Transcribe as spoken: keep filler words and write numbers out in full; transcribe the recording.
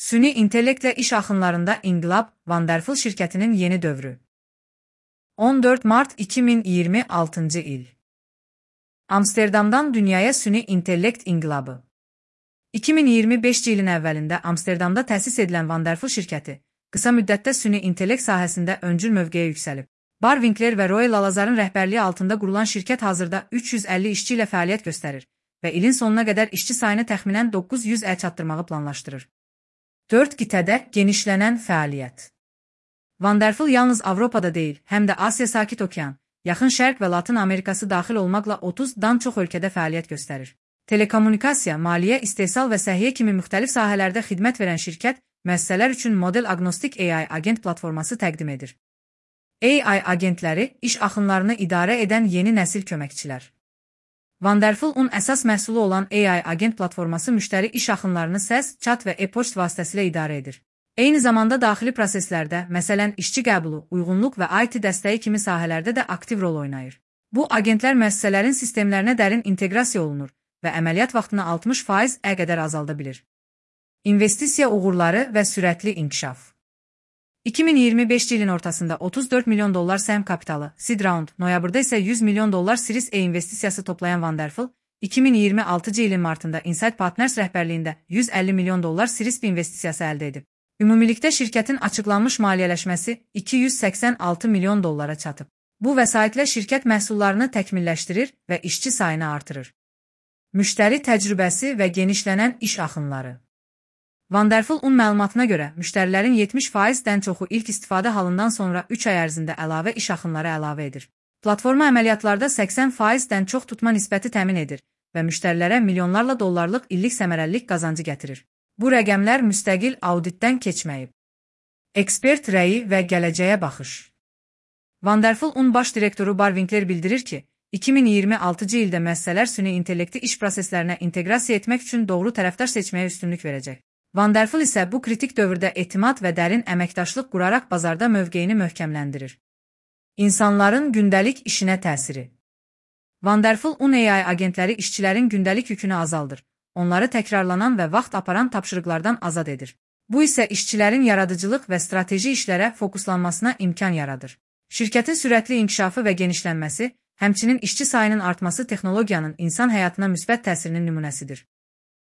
Süni intellektlə iş axınlarında inqilab, Wonderful şirkətinin yeni dövrü. on dörd mart iki min iyirmi altıncı il. Amsterdamdan dünyaya süni intellekt inqilabı. iki min iyirmi beşinci ilin əvvəlində Amsterdamda təsis edilən Wonderful şirkəti, qısa müddətdə süni intellekt sahəsində öncül mövqeyə yüksəlib. Bar Winkler və Roy Lalazarın rəhbərliyi altında qurulan şirkət hazırda üç yüz əlli işçi ilə fəaliyyət göstərir və ilin sonuna qədər işçi sayını təxminən doqquz yüzə çatdırmağı planlaşdırır. dörd qitədə genişlənən fəaliyyət. Wonderful yalnız Avropada deyil, həm də Asiya Sakit Okean, Yaxın Şərq və Latın Amerikası daxil olmaqla otuzdan çox ölkədə fəaliyyət göstərir. Telekommunikasiya, maliyyə, istehsal və səhiyyə kimi müxtəlif sahələrdə xidmət verən şirkət, müəssisələr üçün model agnostik A I agent platforması təqdim edir. A I agentləri iş axınlarını idarə edən yeni nəsil köməkçilər. Wonderful-un əsas məhsulu olan A I agent platforması müştəri iş axınlarını səs, chat və e-poçt vasitəsilə idarə edir. Eyni zamanda daxili proseslərdə, məsələn, işçi qəbulu, uyğunluq və I T dəstəyi kimi sahələrdə də aktiv rol oynayır. Bu agentlər müəssisələrin sistemlərinə dərin inteqrasiya olunur və əməliyyat vaxtını altmış faizə qədər azalda bilir. İnvestisiya uğurları və sürətli inkişaf. iki min iyirmi beşinci ilin ortasında otuz dörd milyon dollar səhəm kapitalı, seed round, noyabrda isə yüz milyon dollar Series A investisiyası toplayan Wonderful, iki min iyirmi altıncı ilin martında Insight Partners rəhbərliyində yüz əlli milyon dollar Series B investisiyası əldə edib. Ümumilikdə şirkətin açıqlanmış maliyyələşməsi iki yüz səksən altı milyon dollara çatıb. Bu vəsaitlə şirkət məhsullarını təkmilləşdirir və işçi sayını artırır. Müştəri təcrübəsi və genişlənən iş axınları. Wonderful-un məlumatına görə, müştərilərin yetmiş faizdən çoxu ilk istifadə halından sonra üç ay ərzində əlavə iş axınları əlavə edir. Platforma əməliyyatlarda səksən faizdən çox tutma nisbəti təmin edir və müştərilərə milyonlarla dollarlıq illik səmərəlilik qazancı gətirir. Bu rəqəmlər müstəqil auditdən keçməyib. Ekspert rəyi və gələcəyə baxış. Wonderful-un baş direktoru Bar Winkler bildirir ki, iki min iyirmi altıncı ildə müəssisələr süni intellekti iş proseslərinə inteqrasiya etmək üçün doğru tərəfdaş seçməyə üstünlük verəcək. Wonderful isə bu kritik dövrdə etimad və dərin əməkdaşlıq quraraq bazarda mövqeyini möhkəmləndirir. İnsanların gündəlik işinə təsiri. Wonderful-un A I agentləri işçilərin gündəlik yükünü azaldır, onları təkrarlanan və vaxt aparan tapşırıqlardan azad edir. Bu isə işçilərin yaradıcılıq və strateji işlərə fokuslanmasına imkan yaradır. Şirkətin sürətli inkişafı və genişlənməsi, həmçinin işçi sayının artması texnologiyanın insan həyatına müsbət təsirinin nümunəsidir.